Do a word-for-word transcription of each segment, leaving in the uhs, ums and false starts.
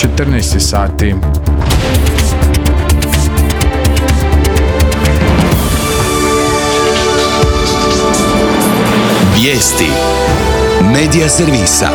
četrnaest sati. Vijesti Medija servisa.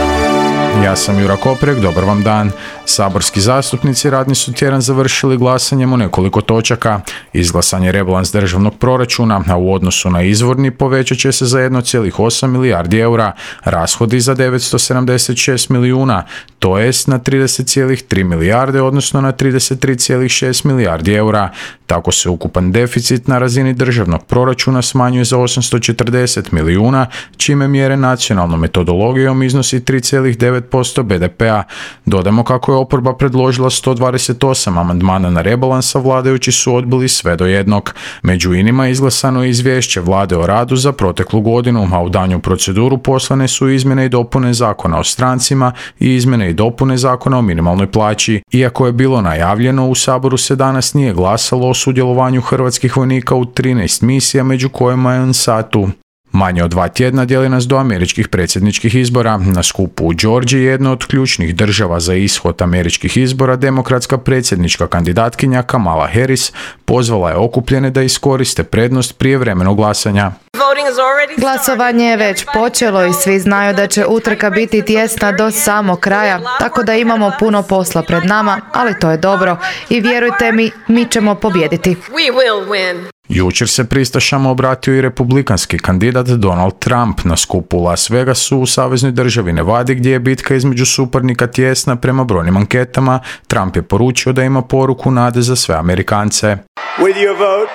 Ja sam Jura Koprek, dobar vam dan. Saborski zastupnici radni su tjedan završili glasanjem o nekoliko točaka. Izglasan je rebalans državnog proračuna, a u odnosu na izvorni povećat će se za jedan zarez osam milijardi eura, rashodi za devetsto sedamdeset šest milijuna, to jest na trideset zarez tri milijarde, odnosno na trideset tri zarez šest milijardi eura. Tako se ukupan deficit na razini državnog proračuna smanjuje za osamsto četrdeset milijuna, čime mjere nacionalnom metodologijom iznosi tri zarez devet posto be de pea. Dodamo kako je oporba predložila sto dvadeset osam amandmana na rebalans, a vladajući su odbili sve do jednog. Među inima izglasano je izvješće vlade o radu za proteklu godinu, a u danju proceduru poslane su izmjene i dopune zakona o strancima i izmjene i dopune zakona o minimalnoj plaći. Iako je bilo najavljeno, u Saboru se danas nije glasalo o sudjelovanju hrvatskih vojnika u trinaest misija, među kojima je UNSATU. Manje od dva tjedna dijeli nas do američkih predsjedničkih izbora. Na skupu u Georgiji, jedno od ključnih država za ishod američkih izbora, demokratska predsjednička kandidatkinja Kamala Harris pozvala je okupljene da iskoriste prednost prijevremenog glasanja. Glasovanje je već počelo i svi znaju da će utrka biti tijesna do samog kraja, tako da imamo puno posla pred nama, ali to je dobro i vjerujte mi, mi ćemo pobijediti. Jučer se pristašama obratio i republikanski kandidat Donald Trump na skupu u Las Vegasu u saveznoj državi Nevadi, gdje je bitka između suparnika tijesna prema brojnim anketama. Trump je poručio da ima poruku nade za sve Amerikance.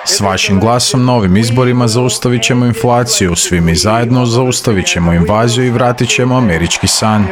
S vašim glasom na ovim izborima zaustavit ćemo inflaciju, svi mi zajedno zaustavit ćemo invaziju i vratit ćemo američki san.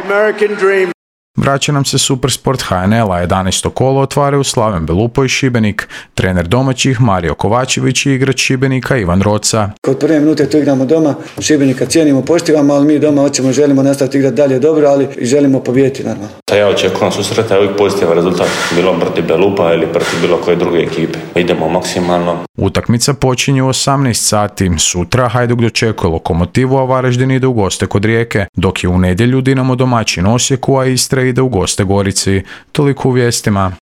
Vraća nam se Supersport ha en el, a jedanaesto kolo otvaraju Slaven Belupo i Šibenik. Trener domaćih Mario Kovačević i igrač Šibenika Ivan Roca. Kod prve minute tu igramo doma, Šibenika cijenimo, poštivamo, ali mi doma hoćemo i želimo nastaviti igrati dalje dobro, ali i želimo pobijediti normalno. Ja očekujem susreta, uvijek pozitivan rezultat, bilo protiv Belupa ili protiv bilo koje druge ekipe. Idemo maksimalno. Utakmica počinje u osamnaest sati. Sutra Hajduk dočekuje Lokomotivu, a Varaždin ide u goste kod Rijeke, dok je u nedjelju Dinamo domaćin Osijeku, a Istra ide u goste Gorici. Toliko u vijestima.